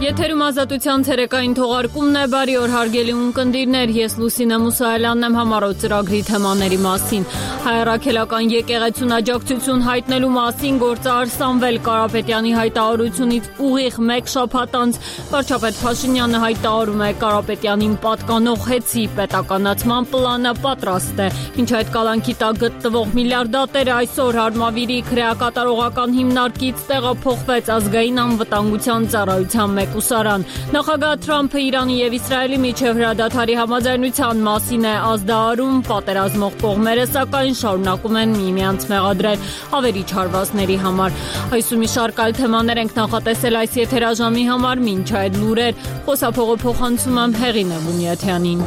Եթերում ազատության ցերեկային թողարկումն է, բարի օր հարգելի ունկնդիրներ, ես Լուսինե Մուսայելյանն եմ համառոտ ծրագրի թեմաների մասին։ Հայրաքելական եկեղեցուն աջակցություն հայտնելու մասին գործարար Սամվել Կարապետյանի հայտարարությունից ուղիղ մեկ շաբաթ անց վարչապետ Փաշինյանը հայտարարում է Կարապետյանին պատկանող հեծի պետականացման պլանը պատրաստ է։ Մինչ այդ կալանքի տակ գտնվող միլիարդատերը այսօր Հարմավիրի քրեակատարողական հիմնարկից տեղափոխվեց ազգային անվտանգության ծառայության մեկուսարան։ Նախագահ Թրամփը Իրանի եւ Իսրայելի միջև հրադադարի համաձայնության մասին է ազդարարում, պատերազմող կողմերը սակայն շարունակում են միմյանց մեղադրել ավերիչ հարվածների համար։ Այսօր մի շարք այլ թեմաներ ենք նախատեսել այս եթերաժամի համար, մինչ այդ լուրեր խոսափողը փոխանցում եմ Հեղինե Բունյաթյանին։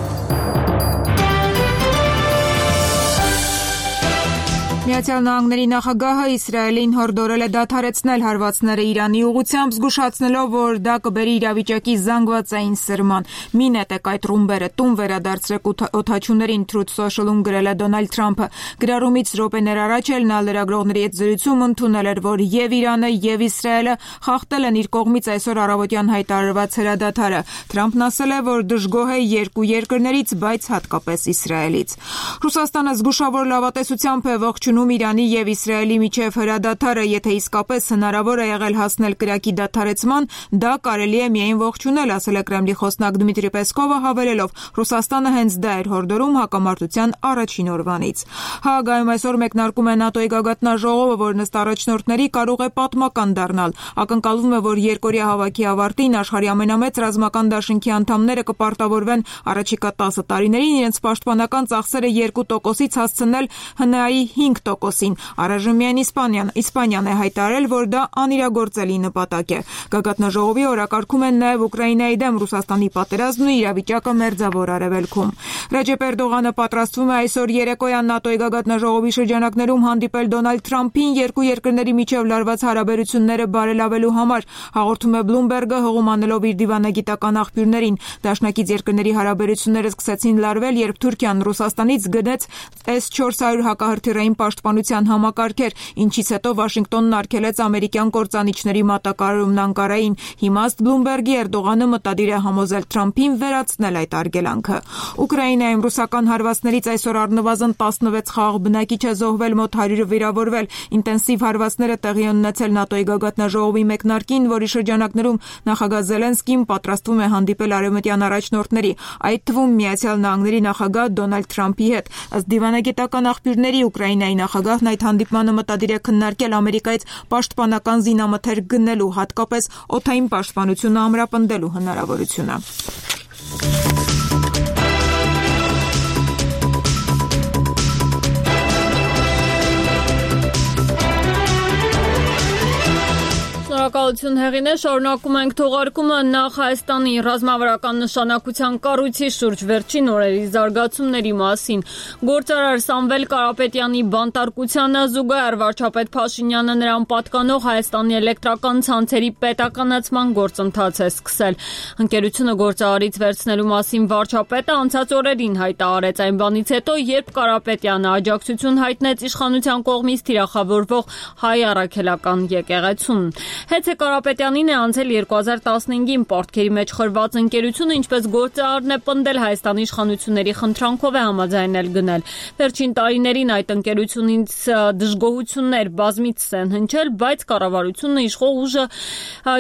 Միացյալ Նահանգների նախագահը Իսրայելին հորդորել է դադարեցնել հարվածները Իրանի ուղղությամբ, զգուշացնելով, որ դա կբերի իրավիճակի զանգվածային սրման։ Մի նետեք այդ ռումբերը, տուն վերադարձրեք օդաչուներին, Truth Social-ում գրել է Դոնալդ Թրամփը։ Գրառումից րոպեներ առաջ էլ նա լրագրողների հետ զրույցում ընդունել էր, որ եւ Իրանը եւ Իսրայելը խախտել են իր կողմից այսօր առավոտյան հայտարարված հրադադարը։ Թրամփն ասել է, որ դժգոհ է երկու երկրներից, բայց հատկապես Իսրայելից։ Ռուսաստանը զգուշավոր լավատեսությամբ է ողջունում Իրանի եւ Իսրայելի միջև հրադադարը, եթե իսկապես հնարավոր է եղել հասնել կրակի դադարեցման, դա կարելի է միայն ողջունել, ասել է Կրեմլի խոսնակ Դմիտրի Պեսկովը, հավելելով. Ռուսաստանը հենց դա էր հորդորում հակամարտության առաջին օրվանից։ Հաագայում այսօր մեկնարկում է ՆԱՏՕ-ի գագաթնաժողովը, որն ըստ առաջնորդների կարող է պատմական դառնալ։ Ակնկալվում է, որ երկօրյա հավաքի ավարտին աշխարհի ամենամեծ ռազմական դաշինքի անդամները կպարտավորվեն առաջիկա 10 տարիներին իրենց պաշտպանական ծախսերը 2%-ից հասցնել ՀՆԱ-ի 5%-ին։ Առայժմ միայն Իսպանիան է հայտարարել, որ դա անիրագործելի նպատակ է։ Գագաթնաժողովի օրակարգում են նաև Ուկրաինայի դեմ Ռուսաստանի պատերազմն ու իրավիճակը Մերձավոր Արևելքում։ Ռեջեփ Էրդողանը պատրաստվում է այսօր երեկոյան ՆԱՏՕ-ի գագաթնաժողովի շրջանակներում հանդիպել Դոնալդ Թրամփին երկու երկրների միջև լարված հարաբերությունները բարելավելու համար, հաղորդում է Bloomberg-ը հողում անելով իր դիվանագիտական աղբյուրներին։ Դաշնակից երկրների հարաբերությունները սկսեցին լարվել, երբ Թուրքիան Ռուսաստանից գնեց S-400 հակահրթիռային պաշտպանության համակարգեր, ինչից հետո Վաշինգտոնն արգելեց ամերիկյան կործանիչների մատակարարումն Անկարային։ Հիմա ըստ Bloomberg-ի Էրդողանը մտադիր է համոզել Թրամփին վերացնել այդ արգելանքը։ Ուկրաինայում ռուսական հարվածներից այսօր առնվազն 16 խաղաղ բնակիչ է զոհվել, մոտ 100-ը վիրավորվել։ Ինտենսիվ հարվածները տեղի են ունեցել ՆԱՏՕ-ի գագաթնաժողովի մեկնարկին, որի շրջանակներում նախագահ Զելենսկին պատրաստվում է հանդիպել արևմտյան առաջնորդների, այդ թվում Միացյալ Նահանգների նախագահ Դոնալդ Թրամփի հետ։ Ըստ դիվանագիտական աղբյուրների Ուկրաինայի նախագահն այդ հանդիպմանը մտադիր է քննարկել Ամերիկայից պաշտպանական զինամթերք գնելու, հատկապես օդային պաշտպանությունը ամրապնդելու հնարավորությունը։ Շնորհակալություն Հեղինե, շարունակում ենք թողարկումը նախ Հայաստանի ռազմավարական նշանակության կառույցի շուրջ վերջին օրերի զարգացումների մասին։ Գործարար Սամվել Կարապետյանի բանտարկությանը զուգահեռ վարչապետ Փաշինյանը նրան պատկանող Հայաստանի էլեկտրական ցանցերի պետականացման գործընթաց է սկսել։ Ընկերությունը գործարարից վերցնելու մասին վարչապետը անցած օրերին հայտարարեց այն բանից հետո, երբ Կարապետյանը աջակցություն հայտնեց իշխանության կողմից թիրախավորվող հայ առաքելական եկեղեցուն։ Հեծե Կարապետյանին է անցել 2015-ին պարտքերի մեջ խրված ընկերությունը, ինչպես գործարարն է պնդել, Հայաստանի իշխանությունների խնդրանքով է համաձայնել գնել։ Վերջին տարիներին այդ ընկերությունից դժգոհություններ բազմիցս են հնչել, բայց կառավարությունը իշխող ուժը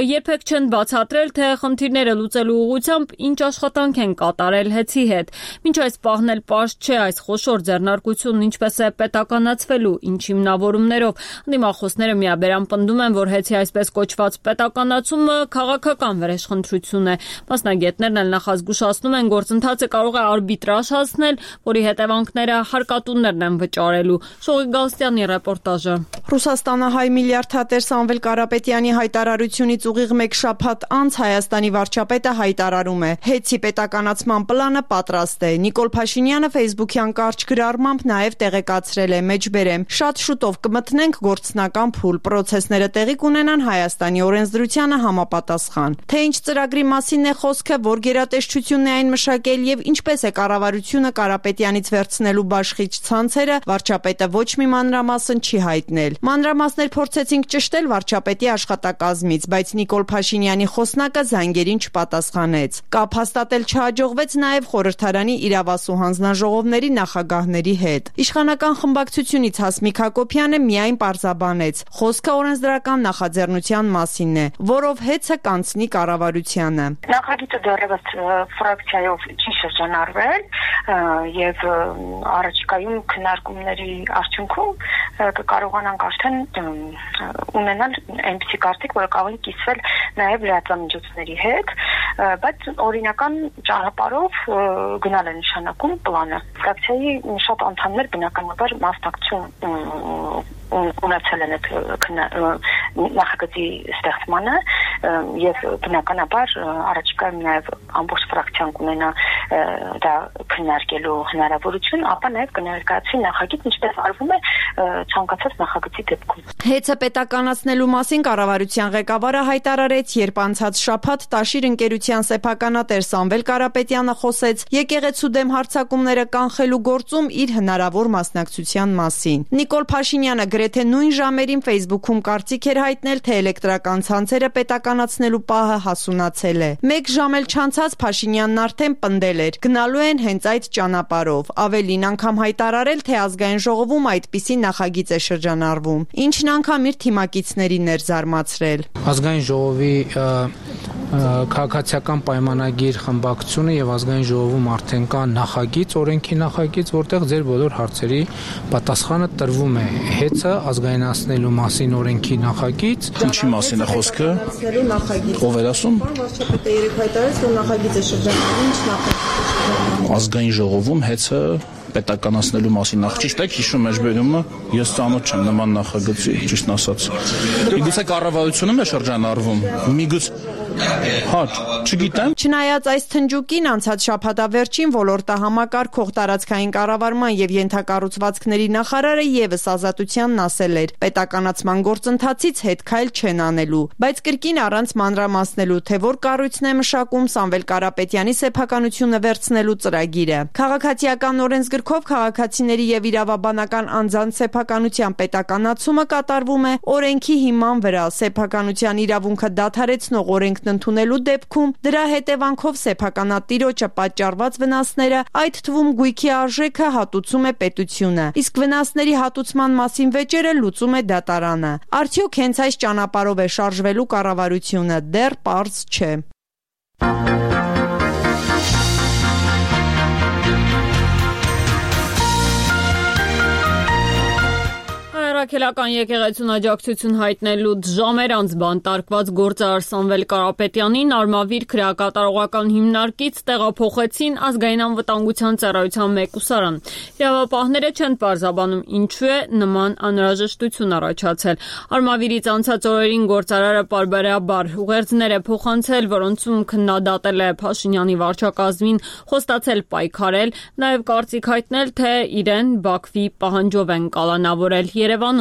երբեք չեն բացատրել, թե խնդիրները լուծելու ուղղությամբ ինչ աշխատանք են կատարել հեծի հետ։ Մինչ այս պահն էլ պարզ չէ այս խոշոր ձեռնարկությունն ինչպես է պետականացվելու, ինչ հիմնավորումներով։ Դիմախոսները միաբերան պնդում են, որ հեծի այսպես կոչված պետականացումը քաղաքական վրեժխնդրություն է։ Մասնագետներն էլ նախազգուշացնում են, գործընթացը կարող է արբիտրաժ հասնել, որի հետևանքները հարկատուներն են վճարելու։ Շողի Գալստյանի ռեպորտաժը։ Ռուսաստանը հայ միլիարդատեր Սամվել Կարապետյանի հայտարարությունից ուղիղ մեկ շաբաթ անց Հայաստանի վարչապետը հայտարարում է. հեծի պետականացման պլանը պատրաստ է։ Նիկոլ Փաշինյանը Facebook-յան կարճ գրառմամբ նաև տեղեկացրել է. մեջբերեմ, շատ շուտով կմտնենք գործնական փուլ, պրոցեսները տեղի կունենան Հայաստանի Հայաստանի օրենսդրությանը համապատասխան։ Թե ինչ ծրագրի մասին է խոսքը, որ գերատեսչությունն է այն մշակել եւ ինչպես է կառավարությունը Կարապետյանից վերցնելու բաշխիչ ցանցերը, վարչապետը ոչ մի մանրամասն չի հայտնել։ Մանրամասներ փորձեցինք ճշտել վարչապետի աշխատակազմից, բայց Նիկոլ Փաշինյանի խոսնակը զանգերին չպատասխանեց։ Կապ հաստատել չհաջողվեց նաեւ խորհրդարանի իրավասու հանձնաժողովների նախագահների հետ։ Իշխանական խմբակցությունից Հասմիկ Հակոբյանը միայն պարզաբանեց. խոսքը օրենսդրական նախաձեռնության մասին է, որով հեծը կանցնի կառավարությանը։ Նախագիծը դեռևս ֆրակցիայով չի շրջանառվել եւ առաջիկայում քննարկումների արդյունքում կկարողանանք արդեն ունենալ այնպիսի կարծիք, որը կարող է կիսվել նաեւ լրատվամիջոցների հետ, բայց օրինական ճանապարհով գնալ է նշանակում պլանը։ Ֆրակցիայի շատ անդամներ բնականաբար մասնակցություն ունեցել են այդ նախագծի ստեղծմանը եւ բնականաբար առաջիկայում նաեւ ամբողջ ֆրակցիան կունենա դա քննարկելու հնարավորություն, ապա նաեւ կներկայացվի նախագիծ, ինչպես արվում է ցանկացած նախագծի դեպքում։ Հեծը պետականացնելու մասին կառավարության ղեկավարը հայտարարեց, երբ անցած շաբաթ Տաշիր ընկերության սեփականատեր Սամվել Կարապետյանը խոսեց եկեղեցու դեմ հարձակումները կանխելու գործում իր հնարավոր մասնակցության մասին։ Նիկոլ Փաշինյանը գրեթե նույն ժամերին Facebook-ում կարծիք էր հայտնել, թե էլեկտրական ցանցերը պետականացնելու պահը հասունացել է։ Մեկ ժամ էլ չանցած Փաշինյանն արդեն պնդել էր, գնալու են հենց այդ ճանապարհով։ Ավելին անգամ հայտարարել, թե ազգային ժողովում այդպիսի նախագիծ է շրջանառվում, ինչն անգամ իր թիմակիցներին էր զարմացրել։ Ազգային ժողովի քաղաքացիական պայմանագիր խմբակցությունը եւ ազգային ժողովում արդեն կա նախագիծ, օրենքի նախագիծ, որտեղ ձեր բոլոր հարցերի պատասխանը տրվում է։ Հեծը ազգայնացնելու մասին օրենքի նախագիծ։ Ինչի մասին է խոսքը։ Ով էր ասում։ Վարչապետը երեք հայտարարեց, որ նախագիծ է շրջանառվում, ինչ նախագիծ։ Ազգային ժողովում հեծը պետականացնելու մասին ճիշտ է, հիշում եք բերումը, ես ծանոթ չեմ նման նախագծի, ճիշտ ասած։ Միգուցե կառավարությունում է շրջանառվում, միգուցե հա, չգիտեմ։ Չնայած այս թնջուկին անցած շաբաթավերջին ոլորտահամակարգող տարածքային կառավարման եւ ենթակառուցվածքների նախարարը եւս Ազատությանն ասել էր, պետականացման գործընթացից հետ քայլ չեն անելու, բայց կրկին առանց մանրամասնելու, թե որ կառույցն է մշակում Սամվել Կարապետյանի սեփականությունը վերցնելու ծրագիրը։ Քաղաքացիական օրենսգրքով քաղաքացիների եւ իրավաբանական անձանց սեփականության պետականացումը կատարվում է օրենքի հիման վրա, սեփականության իրավունքը դադարեցնող օրենքն ընդունելու դեպքում դրա հետևանքով սեփականատիրոջը պատճառված վնասները, այդ թվում գույքի արժեքը հատուցում է պետությունը, իսկ վնասների հատուցման մասին վեճերը լուծում է դատարանը։ Արդյոք հենց այս ճանապարհով է շարժվելու կառավարությունը, դեռ պարզ չէ։ Առաքելական եկեղեցուն աջակցություն հայտնելուց ժամեր անց բանտարկված գործարար Սամվել Կարապետյանին Արմավիր քրեակատարողական հիմնարկից տեղափոխեցին ազգային անվտանգության ծառայության մեկուսարան։ Իրավապահները չեն պարզաբանում ինչու է նման անհրաժեշտություն առաջացել։ Արմավիրից անցած օրերին գործարարը պարբերաբար ուղերձներ է փոխանցել, որոնցում քննադատել է Փաշինյանի վարչակազմին, խոստացել պայքարել, նաև կարծիք հայտնել, թե իրեն Բաքվի պահանջով են կալանավորել Երևանում։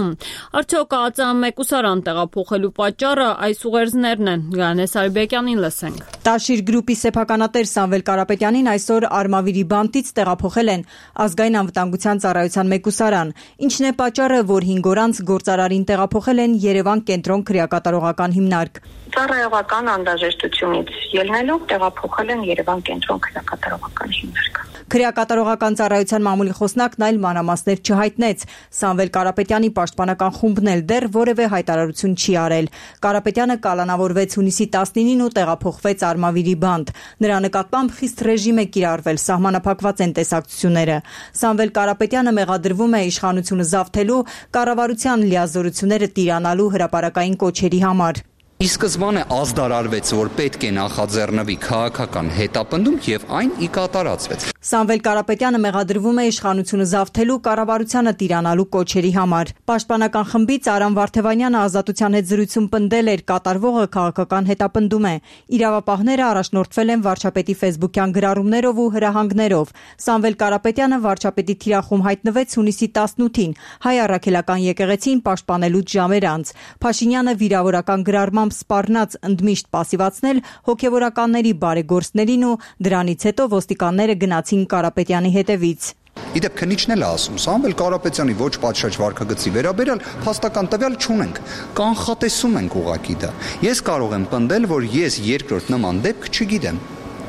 Արդյոք ԱԾՄ մեկուսարան տեղափոխելու պատճառը այս ուղերձներն են։ Գանես Արբեկյանին լսենք։ Տաշիր գրուպի սեփականատեր Սամվել Կարապետյանին այսօր Արմավիրի բանտից տեղափոխել են ազգային անվտանգության ծառայության մեկուսարան։ Ինչն է պատճառը, որ 5 օր անց գործարարին տեղափոխել են Երևան կենտրոն քրեակատարողական հիմնարկ։ Ծառայողական անհրաժեշտությունից ելնելով տեղափոխել են Երևան կենտրոն քրեակատարողական հիմնարկ։ Քրեակատարողական ծառայության մամուլի խոսնակն այլ մանրամասներ չհայտնեց։ Սամվել Կարապետյանի պաշտպանական խումբն էլ դեռ որևէ հայտարարություն չի արել։ Կարապետյանը կալանավորվեց հունիսի 19-ին ու տեղափոխվեց Արմավիրի բանտ։ Նրա նկատմամբ խիստ ռեժիմ է կիրառվել, սահմանափակված են տեսակցությունները։ Սամվել Կարապետյանը մեղադրվում է իշխանությունը զավթելու, կառավարության լիազորությունները տիրանալու հրապարակային կոչերի համար։ Ի սկզբանե ազդարարվեց, որ պետք է նախաձեռնվի քաղաքական հետապնդում եւ այն ի կատարածվեց։ Սամվել Կարապետյանը մեղադրվում է իշխանությունը զավթելու, կառավարությանը տիրանալու կոչերի համար։ Պաշտպանական խմբից Արամ Վարդևանյանը Ազատության հետ զրույցում պնդել էր, կատարվողը քաղաքական հետապնդում է։ Իրավապահները առաջնորդվել են վարչապետի ֆեյսբուքյան գրառումներով ու հրահանգներով։ Սամվել Կարապետյանը վարչապետի թիրախում հայտնվեց հունիսի 18-ին Հայ առաքելական եկեղեցին պաշտպանելուց ժամեր անց։ Փաշինյանը վիրավորական գրառմամբ սպառնաց ընդմիշտ պասիվացնել հոգևորականների բարեգործներին ու դրանից հետո ոստիկանները գնացին Կարապետյանի հետևից։ Իդեպ քննիչն էլ ասում, Սամվել Կարապետյանի ոչ պատշաճ վարքագծի վերաբերյալ փաստական տվյալ չունենք, կանխատեսում ենք ուղղակի դա։ Ես կարող եմ պնդել, որ ես երկրորդ նման դեպք չգիտեմ,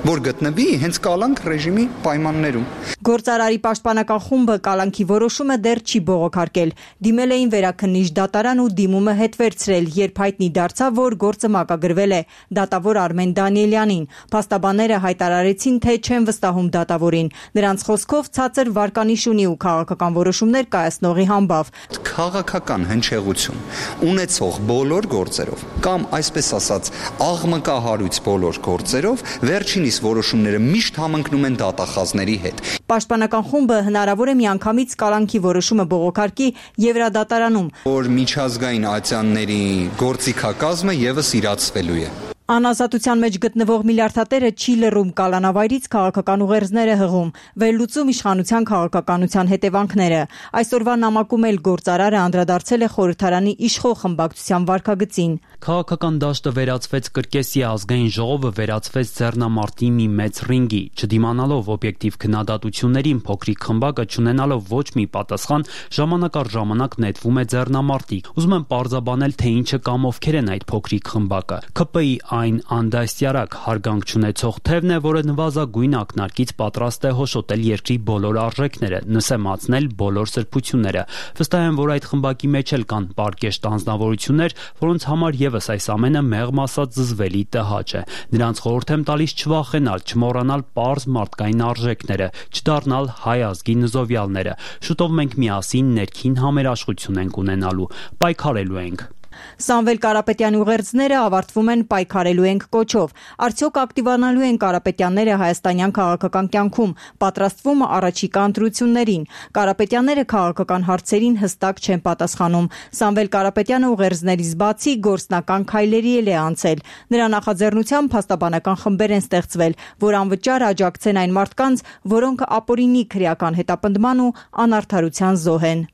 որ գտնվի հենց կալանք ռեժիմի պայմաններում։ Գործարարի պաշտպանական խումբը կալանքի որոշումը դեռ չի բողոքարկել։ Դիմել էին վերաքննիչ դատարան ու դիմումը հետ վերցրել, երբ հայտնի դարձավ, որ գործը մակագրվել է դատավոր Արմեն Դանիելյանին։ Փաստաբանները հայտարարեցին, թե չեն վստահում դատավորին։ Նրանց խոսքով ցածր վարկանիշ ունի ու քաղաքական որոշումներ կայացնողի համբավ։ Քաղաքական հնչեղություն ունեցող բոլոր գործերով կամ այսպես ասած աղմկահարույց բոլոր գործերով վերջինիս որոշումները միշտ համընկնում են դատախազների հետ։ Պաշտպանական խումբը հնարավոր է միանգամից կալանքի որոշումը բողոքարկի Եվրադատարանում, որ միջազգային ատյանների գործիքակազմը եւս իրացվելու է։ Անազատության մեջ գտնվող միլիարդատերը չի լռում, կալանավայրից քաղաքական ուղերձներ է հղում, վերլուծում իշխանության քաղաքականության հետևանքները։ Այսօրվա նամակում էլ գործարարը անդրադարձել է խորհրդարանի իշխող խմբակցության վարքագծին։ Քաղաքական դաշտը վերածվեց կրկեսի, ազգային ժողովը վերածվեց ձեռնամարտի մի մեծ ռինգի, չդիմանալով օբյեկտիվ քննադատություններին, փոքրիկ խմբակը չունենալով ոչ մի պատասխան, ժամանակ առ ժամանակ նետվում է ձեռնամարտի։ Ուզում եմ պարզաբանել, թե ինչը կամ ովքեր են այդ փոքրիկ խմբակը։ ՔՊ-ի այն անդաստիարակ հարգանք չունեցող թևն է, որը նվազագույն ակնարկից պատրաստ է հոշոտել երկրի բոլոր արժեքները, նսեմացնել բոլոր սրբությունները։ Վստահ եմ, որ այդ խմբակի մեջ էլ կան պարկեշտ անձնավորություններ, որոնց համար եւս այս ամենը մեղմ ասած զզվելի տհաճ է։ Նրանց խորհուրդ եմ տալիս չվախենալ, չմոռանալ պարզ մարդկային արժեքները, չդառնալ հայ ազգի նզովյալները։ Շուտով մենք միասին ներքին համերաշխություն ենք ունենալու, պայքարելու ենք։ Սամվել Կարապետյանի ուղերձները ավարտվում են պայքարելու ենք կոչով։ Արդյոք ակտիվանալու են կարապետյանները հայաստանյան քաղաքական կյանքում, պատրաստվում առաջիկա ընտրություններին։ Կարապետյանները քաղաքական հարցերին հստակ չեն պատասխանում։ Սամվել Կարապետյանը ուղերձներից բացի գործնական քայլերի է անցել։ Նրա նախաձեռնությամբ փաստաբանական խմբեր են ստեղծվել, որ անվճար աջակցեն այն մարդկանց, որոնք ապօրինի քրեական հետապնդման ու անարդարության զոհ են։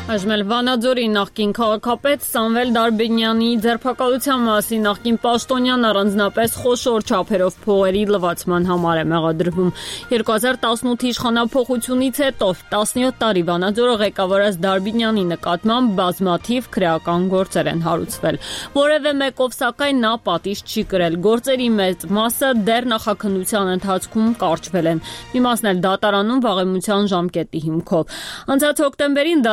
Այժմ Վանաձորի նախկին քաղաքապետ Սամվել Դարբինյանի ձերբակալության մասին նախկին պաշտոնյան առանձնապես խոշոր չափերով փողերի լվացման համար է մեղադրվում։ 2018 իշխանափոխությունից հետո 17 տարի Վանաձորը ղեկավարած Դարբինյանի նկատմամբ բազմաթիվ քրեական գործեր են հարուցվել։ Որևէ մեկով սակայն նա պատիժ չի կրել։ Գործերի մեծ մասը դեռ նախաքննության ընթացքում կարճվել են։ Մի մասն էլ դատարանում վաղեմության ժամկետի հիմքով։ Անցած հոկտեմբերին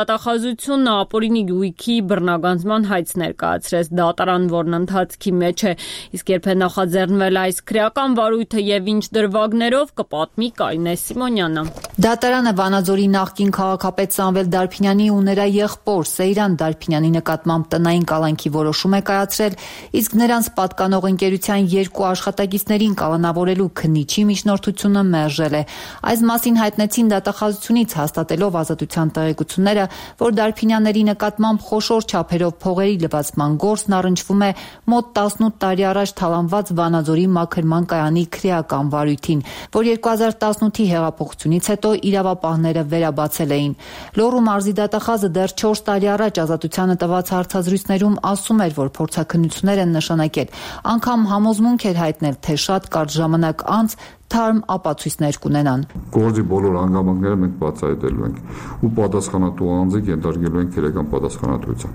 դատախազությունը ապօրինի գույքի բռնագանձման հայց ներկայացրեց դատարան, որն ընթացքի մեջ է, իսկ երբ է նախաձեռնվել այս քրեական վարույթը եւ ինչ դրվագներով կպատմի Կարինե Սիմոնյանը։ Դատարանը Վանաձորի նախկին քաղաքապետ Սամվել Դարբինյանի ու նրա եղբոր Սեյրան Դարբինյանի նկատմամբ տնային կալանքի որոշում է կայացրել, իսկ նրանց պատկանող ընկերության երկու աշխատակիցներին կալանավորելու քննիչի միջնորդությունը մերժել է։ Այս մասին հայտնեցին դատախազությունից հաստատելով Ազատության տեղեկությունները, որ Դարբինյանների նկատմամբ խոշոր չափերով փողերի լվացման գործն առնչվում է մոտ 18 տարի առաջ թալանված Վանաձորի մաքրման կայանի քրեական վարույթին, որ 2018-ի հեղափոխությունից հետո իրավապահները վերաբացել էին։ Լոռու մարզի դատախազը դեռ 4 տարի առաջ Ազատությանը տված հարցազրույցներում ասում էր, որ փորձաքննություններ են նշանակել, անգամ համոզմունք էր հայտնել, թե շատ կարճ ժամանակ անց թարմ ապացույցներ կունենան։ Գործի բոլոր հանգամանքները մենք բացահայտելու ենք ու պատասխանատու անձը ենթարկելու ենք քրեական պատասխանատվության։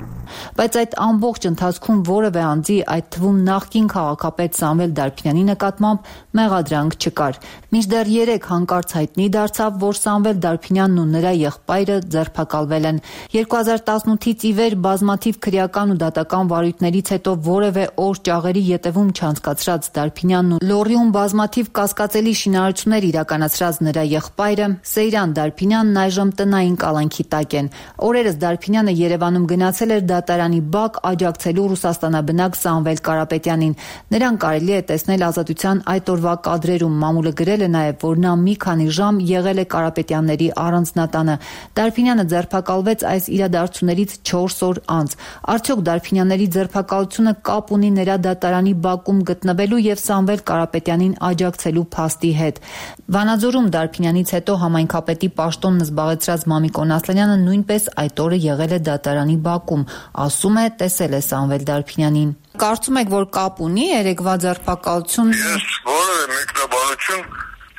Բայց այդ ամբողջ ընթացքում որևէ անձի, այդ թվում նախկին քաղաքապետ Սամվել Դարբինյանի նկատմամբ մեղադրանք չկար։ Մինչդեռ 3 հանկարծ հայտնի դարձավ, որ Սամվել Դարբինյանն ու նրա եղբայրը ձերբակալվել են։ 2018-ից ի վեր բազմաթիվ քրեական ու դատական վարույթներից հետո որևէ օր ճաղերի ետևում չանցկացրած Դարբինյանն ու Լոռիում բազմաթիվ կասկածելի սարսափելի շինարարություններ իրականացրած նրա եղբայրը Սեյրան Դարփինյանն այժմ տնային կալանքի տակ են։ Օրերս Դարփինյանը Երևանում գնացել էր դատարանի բակ աջակցելու Ռուսաստանաբնակ Սամվել Կարապետյանին։ Նրան կարելի է տեսնել Ազատության այդ օրվա կադրերում։ Մամուլը գրել է նաև, որ նա մի քանի ժամ եղել է Կարապետյանների առանձնատանը։ Դարփինյանը ձերբակալվեց այս իրադարձություններից 4 օր անց։ Արդյոք Դարփինյանների ձերբակալությունը կապ ունի նրա դատարանի բակում գտնվելու եւ Սամվել Կարապետյանին աջակցելու փաստի հետ։ Վանաձորում Դարփինյանից հետո համայնքապետի պաշտոնն զբաղեցրած Մամիկոն Ասլանյանը նույնպես այդ օրը եղել է դատարանի բակում, ասում է տեսել է Սամվել Դարփինյանին։ Կարծում եք, որ կապ ունի երեկվա ձերբակալությունը։ Ես որևէ մեկնաբանություն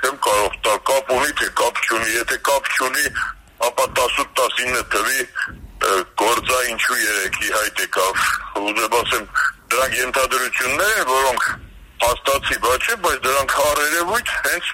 չեմ կարող տալ, կապ ունի թե կապ չունի, եթե կապ չունի, ապա 18-19 թվի գործա ինչու երեքի հայտ եկավ։ Ուզեմ ասեմ, դրանք ենթադրություններ են, որոնք հաստացի բա չէ, բայց դրանք առերևույթ հենց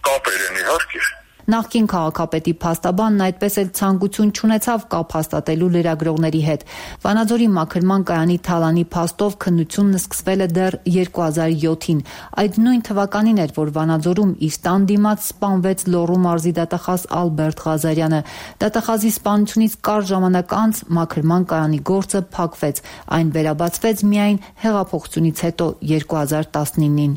կապեր են իհարկե։ Նախկին քաղաքապետի փաստաբանն այդպես էլ ցանկություն չունեցավ կապ հաստատելու լրագրողների հետ։ Վանաձորի մաքրման կայանի թալանի փաստով քննությունն սկսվել է դեռ 2007-ին։ Այդ նույն թվականին էր, որ Վանաձորում իր տան դիմաց սպանվեց Լոռու մարզի դատախազ Ալբերտ Ղազարյանը։ Դատախազի սպանությունից կարճ ժամանակ անց մաքրման կայանի գործը փակվեց։ Այն վերաբացվեց միայն հեղափոխությունից հետո 2019-ին։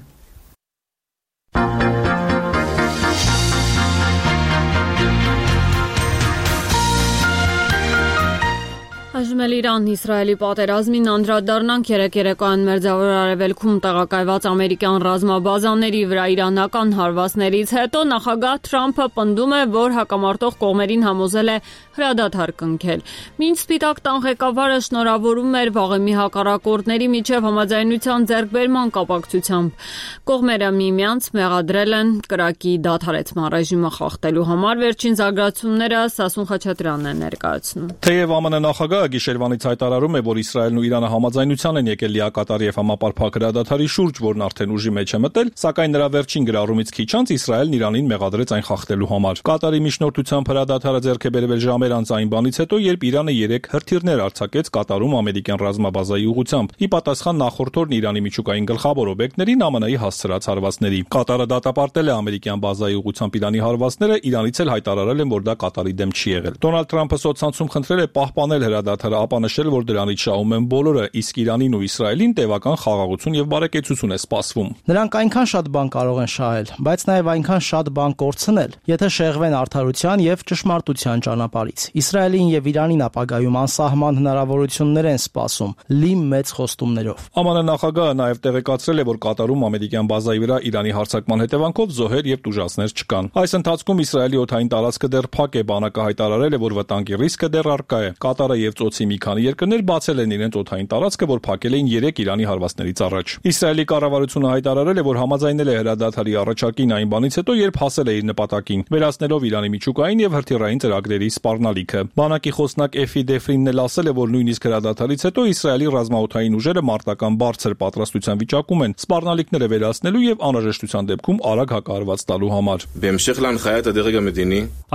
Այժմ էլ Իրան-Իսրայելի պատերազմին անդրադառնանք երեկոյան Մերձավոր Արևելքում տեղակայված ամերիկյան ռազմաբազաների վրա իրանական հարվածներից հետո նախագահ Թրամփը պնդում է, որ հակամարտող կողմերին համոզել է հրադադար կնքել։ Մինչ Սպիտակ տան ղեկավարը շնորհավորում էր վաղեմի հակառակորդների միջև համաձայնության ձեռքբերման կապակցությամբ։ Կողմերը միմյանց մեղադրել են կրակի դադարեցման ռեժիմը խախտելու համար։ Վերջին զարգացումները Սասուն Խաչատրյանն է ներկայացնում։ Թեև ԱՄՆ նախագահը գիշերվանից հայտարարում է, որ Իսրայելն ու Իրանը համաձայնության են եկել լիակատար եւ համապարփակ հրադադարի շուրջ, որն արդեն ուժի մեջ է մտել, սակայն նրա վերջին գրառումից քիչ անց Իսրայելն Իրանին մեղադրեց այն խախտելու համար։ Կատարի միջնորդությամբ հրադադարը ձեռք է բերվել ժամեր անց այն բանից հետո, երբ Իրանը 3 հրթիռներ արձակեց Կատարում ամերիկյան ռազմաբազայի ուղղությամբ, ի պատասխան նախորդ օրն Իրանի միջուկային գլխավոր օբյեկտներին ԱՄՆ-ի հասցրած հարվածների։ Կատարը դատապարտել է ամերիկյան բազայի ուղղությամբ Իրանի հարվածները, Իրանից էլ հայտարարել են, որ դա Կատարի դեմ չի եղել։ Դոնալդ Թրամփը սոցցանցում խնդրել է պահպանել հրադադարը, ապա նշել, որ դրանից շահում են բոլորը, իսկ Իրանին ու Իսրայելին տևական խաղաղություն եւ բարեկեցություն է սպասվում։ Նրանք այնքան շատ բան կարող են շահել, բայց նաեւ այնքան շատ բան կորցնել, եթե շեղվեն արդարության եւ ճշմարտության ճանապարհից։ Իսրայելին եւ Իրանին ապագայում անսահման հնարավորություններ են սպասում, լի մեծ խոստումներով։ ԱՄՆ նախագահը նաեւ տեղեկացրել է, որ Կատարում ամերիկյան բազայի վրա Իրանի հարձակման հետևանքով զոհեր եւ տուժածներ չկան։ Այս ընթացքում Իսրայելի օդային տարածքը դեռ փակ է, բանակը հայտարարել է, որ վտանգի ռիսկը դեռ առկա է։ Կատարը եւ Ծոցի մի քանի երկրներ բացել են իրենց օդային տարածքը, որ փակել էին 3 Իրանի հարվածներից առաջ։ Իսրայելի կառավարությունը հայտարարել է, որ համաձայնել է հրադադարի առաջարկին այն բանից հետո, երբ հասել է իր նպատակին, վերացնելով Իրանի միջուկային եւ հրթիռային ծրագրերի սպառնալիքը։ Բանակի խոսնակ Էֆի Դեֆրինն էլ ասել է, որ նույնիսկ հրադադարից հետո Իսրայելի ռազմաօդային ուժերը մարտական բարձր պատրաստության վիճակում են սպառնալիքները վերացնելու եւ անհրաժեշտության դեպքում արագ հակահարված տալու համար։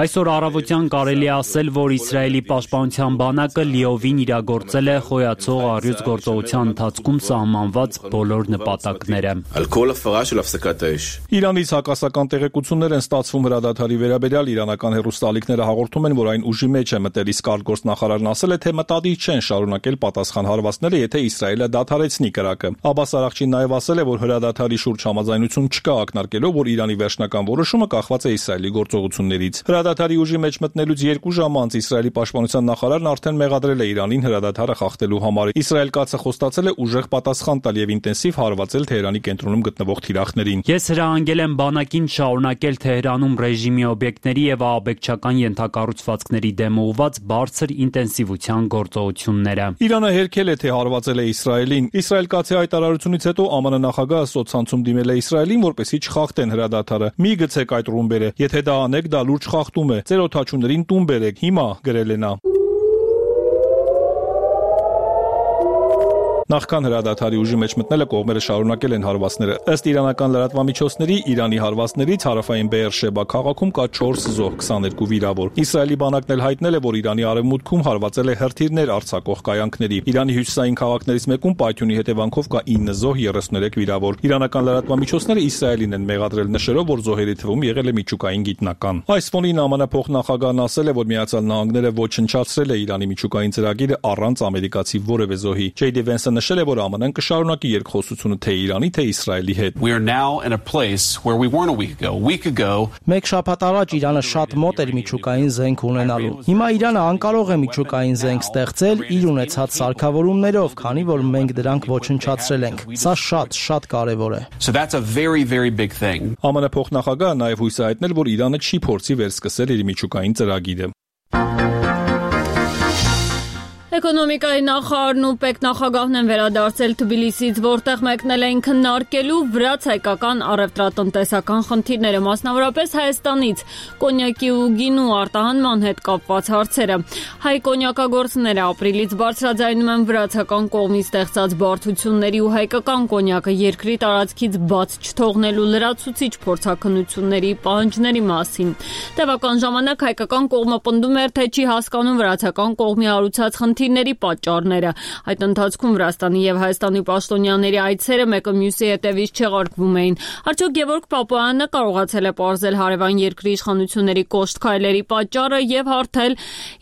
Այսօր առավոտյան կարելի է ասել, որ Իսրայելի պաշտպանության բանակը լիովին իրագործել է խոյացող առյուծ գործողության ընթացքում սահմանված բոլոր նպատակները։ Իրանից հակասական տեղեկություններ են ստացվում հրադադարի վերաբերյալ, իրանական հեռուստաալիքները հաղորդում են, որ այն ուժի մեջ է մտել, իսկ արտգործնախարարն ասել է, թե մտադիր չեն շարունակել պատասխան հարվածները, եթե Իսրայելը դադարեցնի կրակը։ Աբբաս Արաղչին նաև ասել է, որ հրադադարի շուրջ համաձայնություն չկա, ակնարկելով, որ Իրանի վերջնական որոշումը կախված է Իսրայելի գործողություններից։ Հրադադարի ուժի մեջ մտնելուց 2 ժամ անց Իսրայելի պաշտպանության նախարարն արդեն մեղադրել է Իրանին հրադադարը խախտելու համար։ Իսրայել կացը խոստացել է ուժեղ պատասխան տալ եւ ինտենսիվ հարվածել Թեհրանի կենտրոնում գտնվող թիրախներին։ Ես հրահանգել եմ բանակին շարունակել Թեհրանում ռեժիմի օբյեկտների եւ ահաբեկչական ենթակառուցվածքների դեմ ուղղված բարձր ինտենսիվության գործողությունները։ Իրանը հերքել է, թե հարվածել է Իսրայելին։ Իսրայել կացի հայտարարությունից հետո ԱՄՆ նախագահը սոցցանցում դիմել է Իսրայելին, որպեսզի չխախտեն հրադադարը։ Մի գցեք այդ ռումբերը, եթե դա անեք, դա լուրջ խախտում է։ Ձեր օդաչուներին տուն բերեք, հիմա գրել է նա։ Նախքան հրադադարի ուժի մեջ մտնելը կողմերը շարունակել են հարվածները։ Ըստ իրանական լրատվամիջոցների, Իրանի հարվածներից հարավային Բեերշեբա քաղաքում կա 4 զոհ, 22 վիրավոր։ Իսրայելի բանակն էլ հայտնել է, որ Իրանի արևմուտքում հարվածել է հրթիռներ արձակող կայանքների։ Իրանի հյուսիսային քաղաքներից մեկում պայթյունի հետևանքով կա 9 զոհ, 33 վիրավոր։ Իրանական լրատվամիջոցները Իսրայելին են մեղադրել նշելով, որ զոհերի թվում եղել է միջուկային գիտնական։ Այս ֆոնին ԱՄՆ փոխնախագահն ասել է, որ Միացյալ Նահանգները ոչնչացրել է Իրանի միջուկային ծրագիրը առանց ամերիկացի որևէ զոհի։ Ջեյդի Վենսը նշել է, որ ԱՄՆ-ն կշարունակի երկխոսությունը թե Իրանի, թե Իսրայելի հետ։ Մեկ շաբաթ առաջ Իրանը շատ մոտ էր միջուկային զենք ունենալու։ Հիմա Իրանը անկարող է միջուկային զենք ստեղծել իր ունեցած սարքավորումներով, քանի որ մենք դրանք ոչնչացրել ենք։ Սա շատ կարևոր է։ ԱՄՆ փոխնախագահը նաև հույս է հայտնել, որ Իրանը չի փորձի վերսկսել իր միջուկային ծրագիրը։ Էկոնոմիկայի նախարարն ու պետնախագահն են վերադարձել Թբիլիսից, որտեղ մեկնել էին քննարկելու վրաց-հայկական առևտրատնտեսական խնդիրները, մասնավորապես Հայաստանից կոնյակի ու գինու արտահանման հետ կապված հարցերը։ Հայ կոնյակագործները ապրիլից բարձրաձայնում են վրացական կողմից ստեղծած բարդությունների ու հայկական կոնյակը երկրի տարածքից բաց չթողնելու լրացուցիչ փորձաքննությունների պահանջների մասին։ Տևական ժամանակ հայկական կողմը պնդում էր, թե չի հասկանում վրացական կողմի հարուցած խնդիրների պատճառները։ Այդ ընթացքում Վրաստանի եւ Հայաստանի պաշտոնյաների այցերը մեկը մյուսի հետևից չեղարկվում էին։ Արդյոք Գևորգ Պապոյանը կարողացել է պարզել հարևան երկրի իշխանությունների կոշտ քայլերի պատճառը եւ հարթել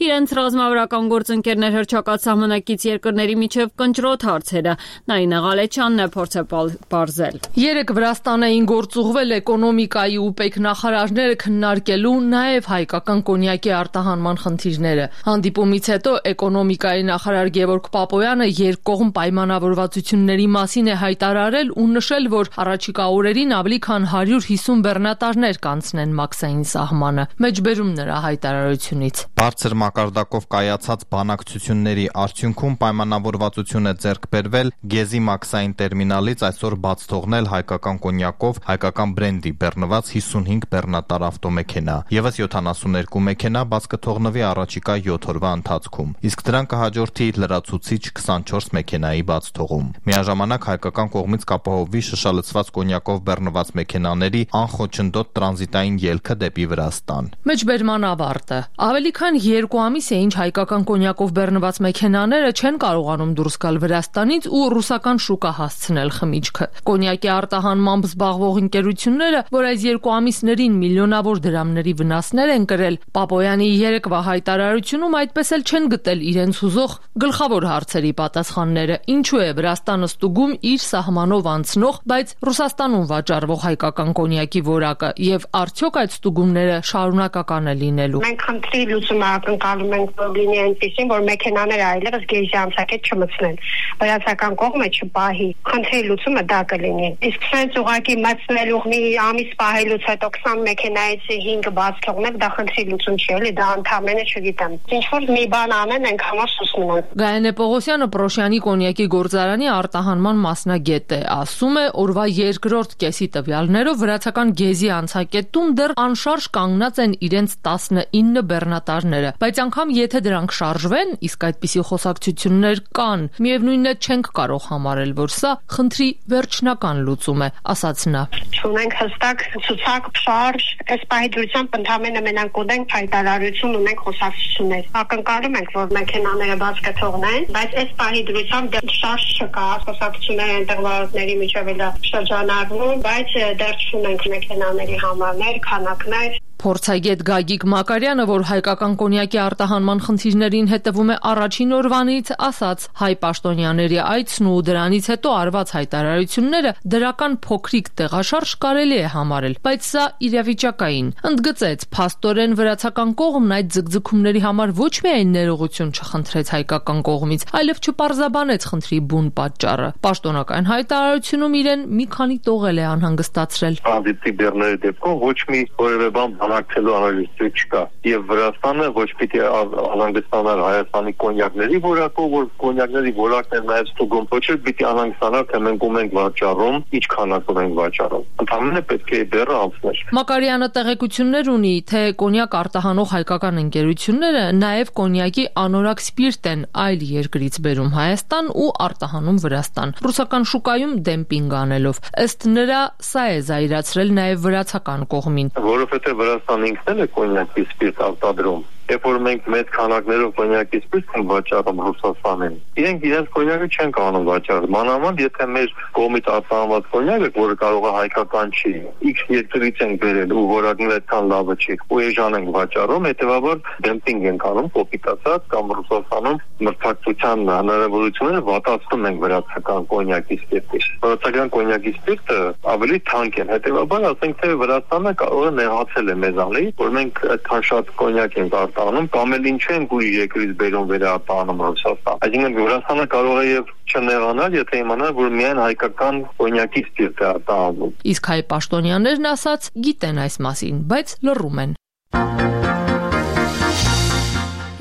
իրենց ռազմավարական գործընկերներ հռչակած սահմանակից երկրների միջև կնճռոտ հարցերը։ Նայինե Ղալեչյանն է փորձել պարզել։ Երեք Վրաստան էին գործուղվել էկոնոմիկայի ու պետնախարարները քննարկելու նաեւ հայկական կոնյակի արտահանման խնդիրները։ Հանդիպումից հետո էկոնոմիկայի նախարար Գևորգ Պապոյանը երկկողմ պայմանավորվածությունների մասին է հայտարարել ու նշել, որ առաջիկա օրերին ավելի քան 150 բեռնատարներ կանցնեն մաքսային սահմանը։ Մեջբերում նրա հայտարարությունից։ Բարձր մակարդակով կայացած բանակցությունների արդյունքում պայմանավորվածություն է ձեռք բերվել Գեզի մաքսային տերմինալից այսօր բաց թողնել հայկական կոնյակով հայկական բրենդի բեռնված 55 բեռնատար ավտոմեքենա։ Եվս 72 մեքենա բաց կթողնվի առաջիկա 7 օրվա ընթացքում, իսկ դրան կհաջորդի լրացուցիչ 24 մեքենայի բաց թողում։ Միաժամանակ հայկական կողմից կապահովվի շշալցված կոնյակով բեռնված մեքենաների անխոչնդոտ տրանզիտային ելքը դեպի Վրաստան։ Մեջբերման ավարտը։ Ավելի քան 2 ամիս է ինչ հայկական կոնյակով բեռնված մեքենաները չեն կարողանում դուրս գալ Վրաստանից ու ռուսական շուկա հասցնել խմիչքը։ Կոնյակի արտահանմամբ զբաղվող ընկերությունները, որ այս 2 ամիսներին միլիոնավոր դրամների վնասներ են կրել, Պապոյանի երեկվա հայտարարությունում այդպես էլ չեն գտել իրենց հուզող գլխավոր հարցերի պատասխանները։ Ինչու է Վրաստանը ստուգում իր սահմանով անցնող, բայց Ռուսաստանում վաճառվող հայկական կոնյակի որակը եւ արդյոք այդ ստուգումները շարունակական է լինելու։ Մենք խնդրի լուծումը ակնկալում ենք, որ լինի այնպեսին, որ մեքենաները այլևս գեժի անցակետ չմցնեն, վրացական կողմը չպահի։ Խնդրի լուծումը դա կլինի։ Իսկ սենց ուղղակի մցնելու մի ամիս պահելուց հետո 20 մեքենայից 5 բաց թողնել, դա խնդրի լուծում չի, էլի, դա ընդհանրապես չգիտեմ։ Ինչ որ մի բան անեն, ենք համար սուսնում են։ Գայանե Պողոսյանը Պրոշյանի կոնյակի գործարանի արտահանման մասնագետ է, ասում է, օրվա երկրորդ կեսի տվյալներով վրացական գեզի անցակետում դեռ անշարժ կանգնած են իրենց 19 բեռնատարները, բայց անգամ եթե դրանք շարժվեն, իսկ այդպիսի խոսակցություններ կան, միևնույնն է չենք կարող համարել, որ սա խնդրի վերջնական լուծում է, ասաց նա։ Չունենք հստակ ցուցակ շարժ, այս պահիդրությամբ ընդհանրապես մենակ ունենք հայտարարություն, ունենք խոսակցություններ։ Ակնկալում ենք, որ մեքենաները բաց կթողնեն, բայց այս պահի դրությամբ դեռ շարժ չկա, խոսակցությունները այնտեղ վարորդների միջև էլ շրջանառվում, բայց դեռ չունենք մեքենաների համարներ, քանակներ։ Փորձագետ Գագիկ Մակարյանը, որ հայկական կոնյակի արտահանման խնդիրներին հետևում է առաջին օրվանից, ասաց, հայ պաշտոնյաների այցն ու դրանից հետո արված հայտարարությունները դրական փոքրիկ տեղաշարժ կարելի է համարել, բայց սա իրավիճակային։ Ընդգծեց, փաստորեն վրացական կողմն այդ ձգձգումների համար ոչ միայն ներողություն չխնդրեց հայկական կողմից, այլև չպարզաբանեց խնդրի բուն պատճառը։ Պաշտոնական հայտարարությունում իրեն մի քանի տողել է անհանգստացրել։ Անդիպի բեռների դեպքում ոչ մի որևէ բան բանակցելու անհրաժեշտություն չկա։ Եվ Վրաստանը ոչ պիտի անհանգստանար Հայաստանի կոնյակների որակով, որ կոնյակների որակն է նաև ստուգում, ոչ էլ պիտի անհանգստանար, թե մենք ում ենք վաճառում, ինչ քանակով ենք վաճառում։ Ընդհանրապես պետք է դեռ անցներ։ Մակարյանը տեղեկություններ ունի, թե կոնյակ արտահանող հայկական ընկերությունները նաև կոնյակի անորակ սպիրտ են այլ երկրից բերում Հայաստան ու արտահանում Վրաստան, ռուսական շուկայում դեմպինգ անելով։ Ըստ նրա, սա է զայրացրել նաև վրացական կողմին։ Որովհետև Վրաստանը ինքն է կոնյակի սպիրտ արտադրում։ Երբ որ մենք մեծ քանակներով կոնյակի սպիրտ ենք վաճառում Ռուսաստանին, իրենք իրենց կոնյակը չեն կարող վաճառել։ Մանավանդ եթե մեր կողմից արտահանված կոնյակը, որը կարող է հայկական չի, X երկրից ենք բերել ու որակն այդքան լավը չի, ու էժան ենք վաճառում, հետեւաբար դեմպինգ ենք անում, կոպիտ ասած, կամ Ռուսաստանում մրցակցության հնարավորությունները վատացնում ենք վրացական կոնյակի սպիրտի։ Վրացական կոնյակի սպիրտը ավելի թանկ է, հետեւաբար ասենք թե Վրաստանը կարող է նեղացել է մեզանից, որ մենք այդքան շատ կոնյակ ենք արտահանում, կամ էլ ինչ են գույ երկրից բերում վերարտահանում Ռուսաստան։ Այսինքն Վրաստանը կարող է եւ չնեղանալ, եթե իմանա, որ միայն հայկական կոնյակի սպիրտ է արտահանում։ Իսկ հայ պաշտոնյաներն ասած գիտեն այս մասին, բայց լռում են։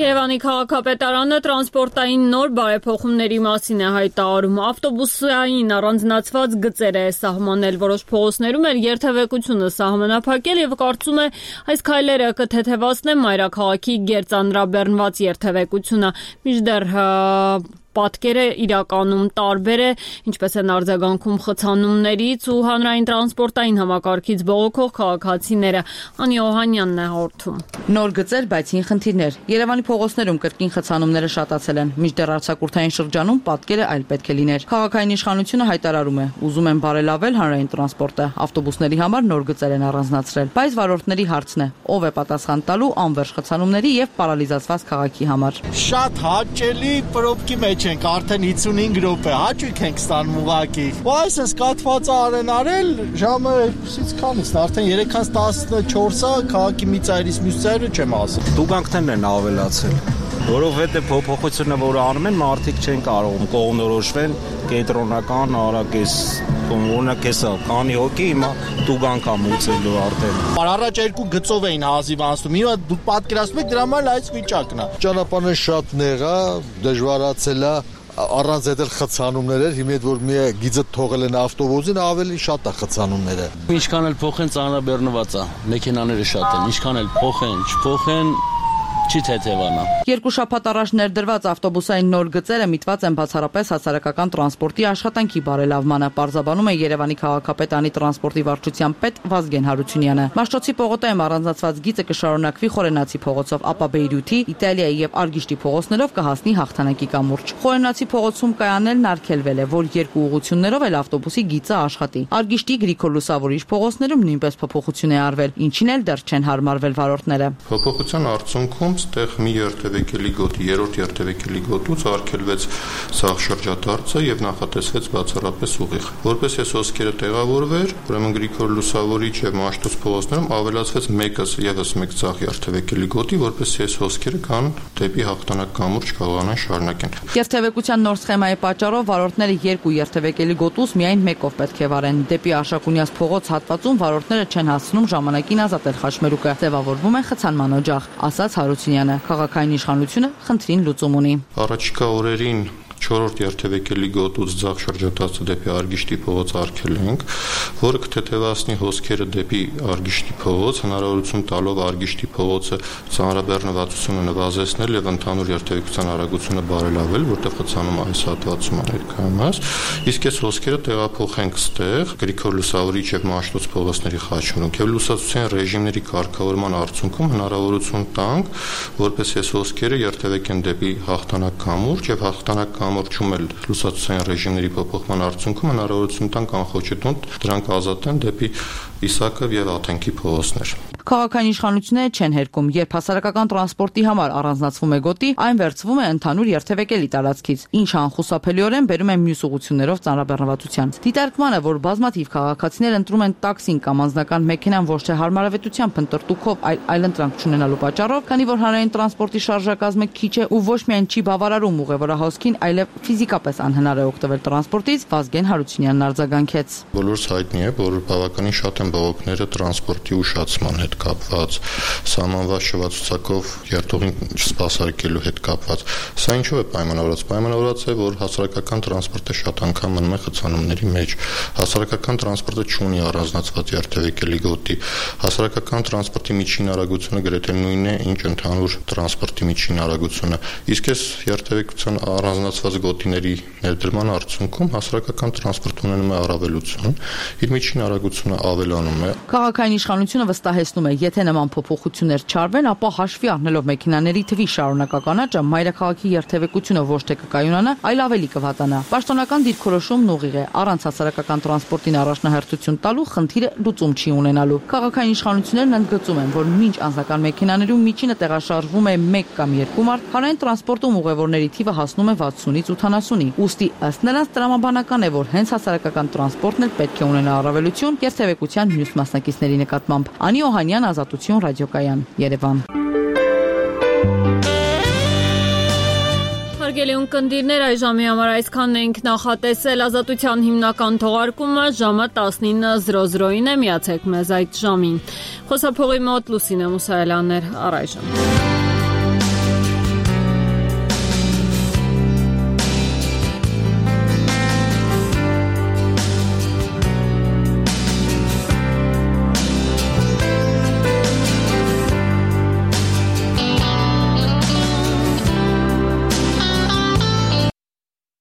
Երևանի քաղաքապետարանը տրանսպորտային նոր բարեփոխումների մասին է հայտարարում։ Ավտոբուսային առանձնացված գծեր է սահմանել, որոշ փողոցներում էլ երթևեկությունը սահմանափակել եւ կարծում է այս քայլերը կթեթևացնեն մայրաքաղաքի գերծանրաբեռնված երթևեկությունը։ Մինչդեռ պատկերը իրականում տարբեր է, ինչպես են արձագանքում խցանումներից ու հանրային տրանսպորտային համակարգից բողոքող քաղաքացիները։ Անի Օհանյանն է հաղորդում։ Նոր գծեր, բայց հին խնդիրներ։ Երևանի փողոցներում կրկին խցանումները շատացել են, մինչդեռ արձակուրդային շրջանում պատկերը այլ պետք է լիներ։ Քաղաքային իշխանությունը հայտարարում է, ուզում են բարելավել հանրային տրանսպորտը, ավտոբուսների համար նոր գծեր են առանձնացրել, բայց վարորդների հարցն է, ով է պատասխան տալու անվերջ խցանումների եւ պարալիզացված քաղաքի համար։ Շատ հաճելի պրոբկի մեջ ենք արդեն 55 րոպե, հաճույք ենք ստանում ուղակի։ Ու այսպես կաթվածը արել, ժամը 2-ից քանից, արդեն 3:14-ը քաղաքի մի ծայրից մյուս ծայրը չեմ ասում։ Տուգանքներն են ավելացել, որովհետև փոփոխությունը, որը անում են, մարդիկ չեն կարողում կողմնորոշվել կենտրոնական արագես օրինակ էսա կանի հոգի հիմա տուգանք ա մուծելու արդեն։ Առաջ երկու գծով էին հազիվ անցնում, հիմա դու պատկերացնում եք դրա համար այս վիճակն է։ Ճանապարհը շատ նեղ է, դժվարացել է, առանց այդ խցանումներ էր, հիմա որ մի գիծը թողել են ավտոբուսին, ավելի շատ է խցանումները։ Ինչքան էլ փոխեն ծանրաբեռնված է, մեքենաները շատ են, ինչքան էլ փոխեն, չփոխեն չի թեթևանա։ Երկու շաբաթ առաջ ներդրված ավտոբուսային նոր գծերը միտված են բացառապես հասարակական տրանսպորտի աշխատանքի բարելավմանը, պարզաբանում է Երևանի քաղաքապետարանի տրանսպորտի վարչության պետ Վազգեն Հարությունյանը։ Մաշտոցի պողոտայում առանձնացված գիծը կշարունակվի Խորենացի փողոցով, ապա Բեյրութի, Իտալիայի եւ Արգիշտի փողոցներով կհասնի Հաղթանակի կամուրջ։ Խորենացի փողոցում կայանելն արգելվել է, որ երկու ուղղություններով էլ ավտոբուսի գիծը աշխատի։ Արգիշտի Գրիգոր Լուսավորիչ փողոցներում նույնպես փոփոխություն է արվել, ինչին էլ դեռ չեն հարմարվել վարորդները։ Փոփոխության արդյունքում ստեղ մի երթևեկելի գոտի, երրորդ երթևեկելի գոտուց արգելվեց սաղ շրջադարձը եւ նախատեսվեց բացառապես ուղիղ։ Որպես այս հոսքերը տեղավորվեր, ուրեմն Գրիգոր Լուսավորիչ եւ Մաշտոց փողոցներում ավելացվեց եւս մեկ սաղ երթևեկելի գոտի, որպեսզի այս հոսքերը կան դեպի Հաղթանակ կամուրջ կարողանան շարունակեն։ Երթևեկության նոր սխեմայի պատճառով վարորդները երկու երթևեկելի գոտուց միայն մեկով պետք է վարեն։ Դեպի Աշակունյաց փողոց հատվածում վարորդները չեն հասցնում ժամանակին ազատել խաչմերուկը, ձևավորվում է խցանման օջախ, ասաց Հարությունյանը։ Քաղաքային իշխանությունը խնդրին լուծում ունի։ Առաջիկա օրերին 4-րդ երթևեկելի գոտուց ձախ շրջադարձը դեպի Արգիշտի փողոց արգելենք, որը կթեթևացնի հոսքերը դեպի Արգիշտի փողոց, հնարավորություն տալով Արգիշտի փողոցը ծանրաբեռնվածությունը նվազեցնել եւ ընդհանուր երթևեկության արագությունը բարելավել, որտեղ խցանում այս հատվածում ներկայումս, իսկ այս հոսքերը տեղափոխենք ստեղ Գրիգոր Լուսավորիչ եւ Մաշտոց փողոցների խաչմերուկ եւ լուսացության ռեժիմների կարգավորման արդյունքում հնարավորություն տանք, որպես այս հոսքերը երթևեկեն դեպի Հաղթանակ կամուրջ եւ Հաղթանակ կամուրջում էլ լուսացության ռեժիմների փոփոխման արդյունքում հնարավորություն տան կանխոճտուն դրանք ազատեն դեպի Իսակով եւ Աթենքի փողոցներ։ Քաղաքային իշխանությունները չեն հերկում, երբ հասարակական տրանսպորտի համար առանձնացվում է գոտի, այն վերցվում է ընդհանուր երթևեկելի տարածքից, ինչը անխուսափելիորեն բերում է մյուս ուղղություններով ծանրաբեռնվածության։ Դիտարկման է, որ բազմաթիվ քաղաքացիներ ընտրում են տաքսին կամ անձնական մեքենան ոչ թե հարմարավետությամբ ընտրտուքով, այլ այլընտրանք չունենալու պատճառով, քանի որ հանրային տրանսպորտի շարժակազմը քիչ է ու ոչ միայն չի բավարարում ուղևորահոսքին, այլև ֆիզիկապես անհնար է օգտվել տրանսպորտից, Վազգեն Հարությունյանն արձագանքեց։ Բոլորս հայտնի է, որ բավականին շատ են են բողոքները տրանսպորտի ուշացման հետ կապված, սահմանված շվացուցակով երթուղին չսպասարկելու հետ կապված։ Սա ինչու է պայմանավորված։ Պայմանավորված է, որ հասարակական տրանսպորտը շատ անգամ մնում է խցանումների մեջ։ Հասարակական տրանսպորտը չունի առանձնացված երթևեկելի գոտի։ Հասարակական տրանսպորտի միջին արագությունը գրեթե նույնն է, ինչ ընդհանուր տրանսպորտի միջին արագությունը։ Իսկ այս երթևեկության առանձնացված գոտիների ներդրման արդյունքում հասարակական տրանսպորտը ունենում է առավելություն, իր միջին արագությունը ավելանում է։ Քաղաքային իշխանությունը վստահեցնում է, եթե նման փոփոխություններ չարվեն, ապա հաշվի առնելով մեքենաների թվի շարունակական աճը, մայրաքաղաքի երթևեկությունը ոչ թե կկայունանա, այլ ավելի կվատանա։ Պաշտոնական դիրքորոշումն ուղիղ է, առանց հասարակական տրանսպորտին առաջնահերթություն տալու խնդիրը լուծում չի ունենալու։ Քաղաքային իշխանություններն ընդգծում են, որ մինչ անձնական մեքենաներում միջինը տեղաշարժվում է 1 կամ 2 մարդ, հանրային տրանսպորտում ուղևորների թիվը հասնում է 60-ից 80-ի։ Ուստի ըստ նրանց տրամաբանական է, որ հենց հասարակական տրանսպորտն էլ պետք է ունենա առավելություն երթևեկության մյուս մասնակիցների նկատմամբ։ Անի Օհանյան, Ազատություն, ռադիոկայան, Երևան։ Հարգելի ունկնդիրներ, այժմի համար այսքանն ենք նախատեսել։ Ազատության հիմնական թողարկումը ժամը 19:00-ին է, միացեք մեզ այդ ժամին։ Խոսափողի մոտ Լուսինե Մուսայելյանն էր, առայժմ։